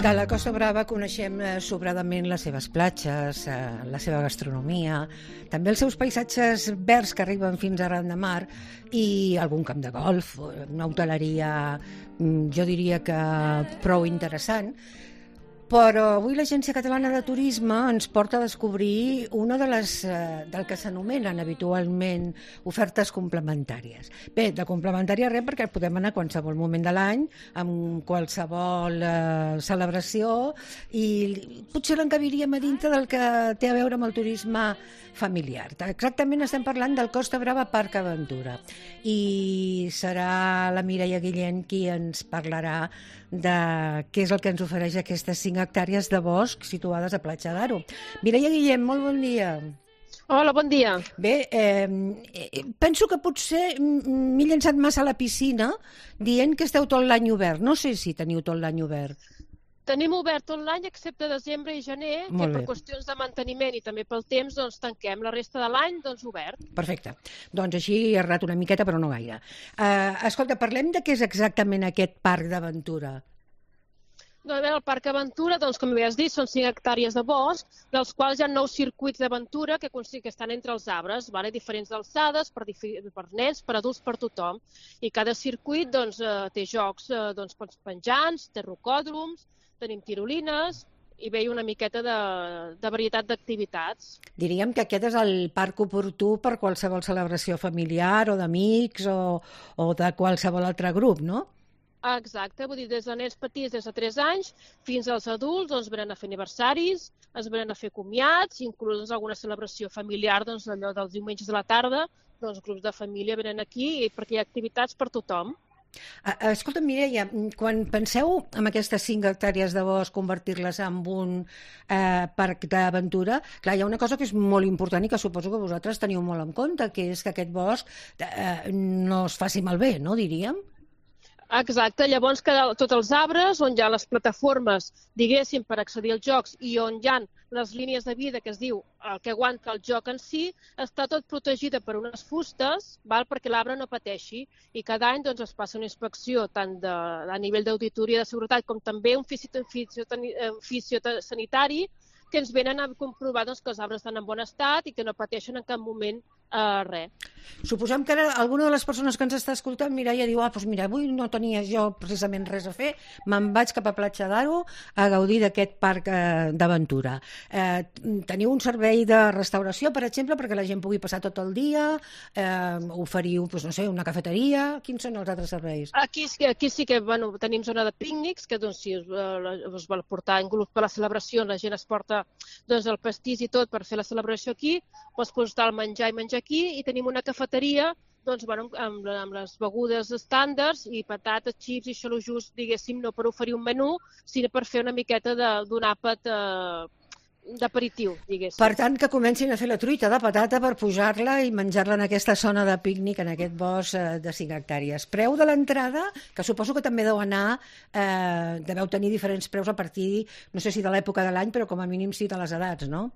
De la Costa Brava coneixem sobradament les seves platges, la seva gastronomia, també els seus paisatges verds que arriben fins a ran de mar i algun camp de golf, una hoteleria, jo diria que prou interessant. Però avui l'Agència Catalana de Turisme ens porta a descobrir una de les del que s'anomenen habitualment ofertes complementàries. Bé, de complementària res, perquè podem anar a qualsevol moment de l'any, amb qualsevol celebració, i potser l'encabiríem a dintre del que té a veure amb el turisme familiar. Exactament estem parlant del Costa Brava Parc Aventura, i serà la Mireia Guillén qui ens parlarà de què és el que ens ofereix aquestes 5 hectàrees de bosc situades a Platja d'Aro. Mireia Guillén, molt bon dia. Hola, bon dia. Bé, penso que potser m'he llançat massa a la piscina dient que esteu tot l'any obert. No sé si teniu tot l'any obert. Tenim obert tot l'any excepte desembre i gener, que per qüestions de manteniment i també pel temps doncs tanquem. La resta de l'any doncs obert. Perfecte. Doncs així he errat una miqueta, però no gaire. Escolta, parlem de què és exactament aquest parc d'aventura. Doncs, el Parc Aventura, doncs, com ja has dit, són 5 hectàrees de bosc, dels quals hi ha 9 circuits d'aventura que estan entre els arbres, diferents alçades, per nens, per adults, per tothom. I cada circuit doncs, té jocs penjants, té rocòdroms, tenim tirolines i ve una miqueta de varietat d'activitats. Diríem que aquest és el parc oportú per qualsevol celebració familiar o d'amics o de qualsevol altre grup, no? Exacte, vull dir, des de nens petits, des de 3 anys, fins als adults, doncs, venen a fer aniversaris, es venen a fer comiats, inclús alguna celebració familiar, doncs, allò dels diumenges de la tarda, doncs, grups de família venen aquí perquè hi ha activitats per tothom. Escolta, Mireia, quan penseu en aquestes 5 hectàrees de bosc, convertir-les en un parc d'aventura, clar, hi ha una cosa que és molt important i que suposo que vosaltres teniu molt en compte, que és que aquest bosc no es faci malbé, no, diríem? Exacte, llavors tots els arbres on hi ha les plataformes, diguéssim, per accedir als jocs i on hi ha les línies de vida, que es diu el que aguanta el joc en si, està tot protegida per unes fustes perquè l'arbre no pateixi, i cada any doncs, es passa una inspecció tant a nivell d'auditoria de seguretat com també un fisiosanitari que ens venen a comprovar doncs, que els arbres estan en bon estat i que no pateixen en cap moment res. Suposem que ara alguna de les persones que ens està escoltant, Mireia, diu, doncs mira, avui no tenia jo precisament res a fer, me'n vaig cap a Platja d'Aro a gaudir d'aquest parc d'aventura. Teniu un servei de restauració, per exemple, perquè la gent pugui passar tot el dia, oferiu, doncs, no sé, una cafeteria, quins són els altres serveis? Aquí sí que tenim zona de pícnics, que doncs, si us vol portar en grup per la celebració, la gent es porta doncs, el pastís i tot per fer la celebració aquí, pots portar el menjar i menjar aquí, i tenim una cafeteria doncs, amb les begudes estàndards i patates, xips i això just, diguéssim, no per oferir un menú, sinó per fer una miqueta d'un àpat d'aperitiu, diguéssim. Per tant, que comencin a fer la truita de patata per pujar-la i menjar-la en aquesta zona de pícnic, en aquest bosc de 5 hectàrees. Preu de l'entrada, que suposo que també deveu tenir diferents preus a partir, no sé si de l'època de l'any, però com a mínim sí de les edats, no?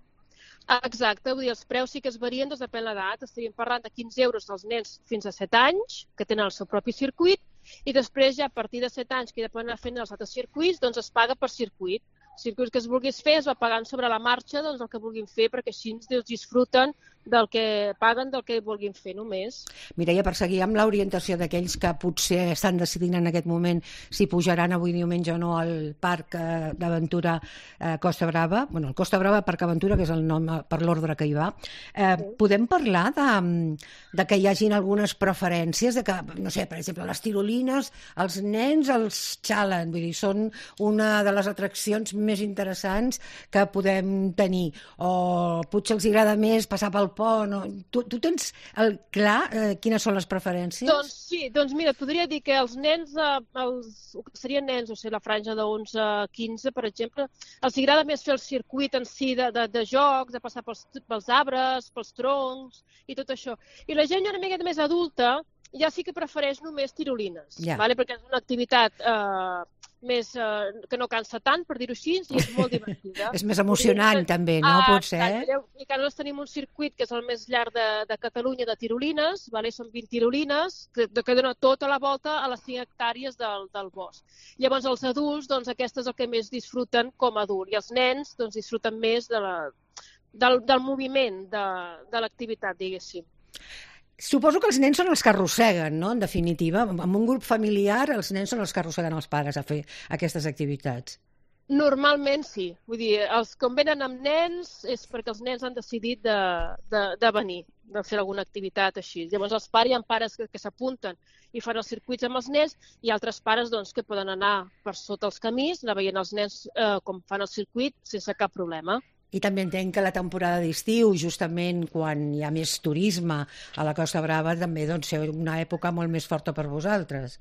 Exacte, vull dir, els preus sí que es varien, doncs depèn de l'edat. Estaríem parlant de 15 euros dels nens fins a 7 anys, que tenen el seu propi circuit, i després ja a partir de 7 anys, que ja poden anar fent els altres circuits, doncs es paga per circuit. Circuits que es vulguis fer es va pagant sobre la marxa doncs, el que vulguin fer, perquè així disfruten del que paguen, del que vulguin fer només. Mireia, per seguir amb l'orientació d'aquells que potser estan decidint en aquest moment si pujaran avui diumenge o no al Parc d'Aventura Costa Brava, el Costa Brava Parc Aventura, que és el nom per l'ordre que hi va, podem parlar de que hi hagin algunes preferències, de que, no sé, per exemple, les tirolines, els nens els xalen, vull dir, són una de les atraccions més interessants que podem tenir, o potser els agrada més passar pel pont, tu tens clar quines són les preferències? Doncs sí, doncs mira, podria dir que els nens, serien nens, o sigui, la franja de 11 a 15, per exemple, els agrada més fer el circuit en si de jocs, de passar pels arbres, pels troncs i tot això. I la gent una miqueta més adulta ja sí que prefereix només tirolines, perquè és una activitat que no cansa tant, per dir-ho així, i és molt divertida. És més emocionant, també, no? Potser, I que nosaltres tenim un circuit que és el més llarg de Catalunya de tirolines, són 20 tirolines, que dona tota la volta a les 5 hectàrees del bosc. Llavors, els adults, doncs, aquest és el que més disfruten com a adult, i els nens doncs, disfruten més del moviment, de l'activitat, diguéssim. Suposo que els nens són els que arrosseguen, no?, en definitiva. En un grup familiar, els nens són els que arrosseguen els pares a fer aquestes activitats. Normalment sí. Vull dir, els que venen amb nens és perquè els nens han decidit de venir, de fer alguna activitat així. Llavors, els pares, hi ha pares que s'apunten i fan els circuits amb els nens, i altres pares doncs, que poden anar per sota els camins, anar veient els nens com fan el circuit sense cap problema. I també entenc que la temporada d'estiu, justament quan hi ha més turisme a la Costa Brava, també doncs, és una època molt més forta per vosaltres.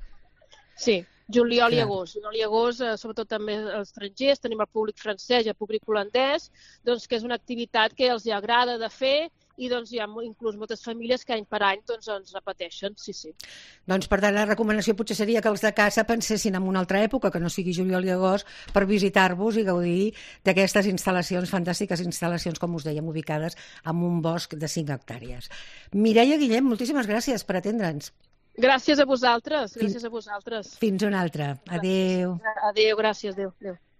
Sí, juliol i agost. Juliol i agost, sobretot també els estrangers, tenim el públic francès i el públic holandès, doncs, que és una activitat que els agrada de fer, i doncs, hi ha inclús moltes famílies que any per any doncs, ens repeteixen, sí. Doncs, per tant, la recomanació potser seria que els de casa pensessin en una altra època, que no sigui juliol i agost, per visitar-vos i gaudir d'aquestes instal·lacions, fantàstiques instal·lacions, com us dèiem, ubicades en un bosc de 5 hectàrees. Mireia Guillem, moltíssimes gràcies per atendre'ns. Gràcies a vosaltres, gràcies a vosaltres. Fins una altra. Adéu. Adéu, gràcies, adéu.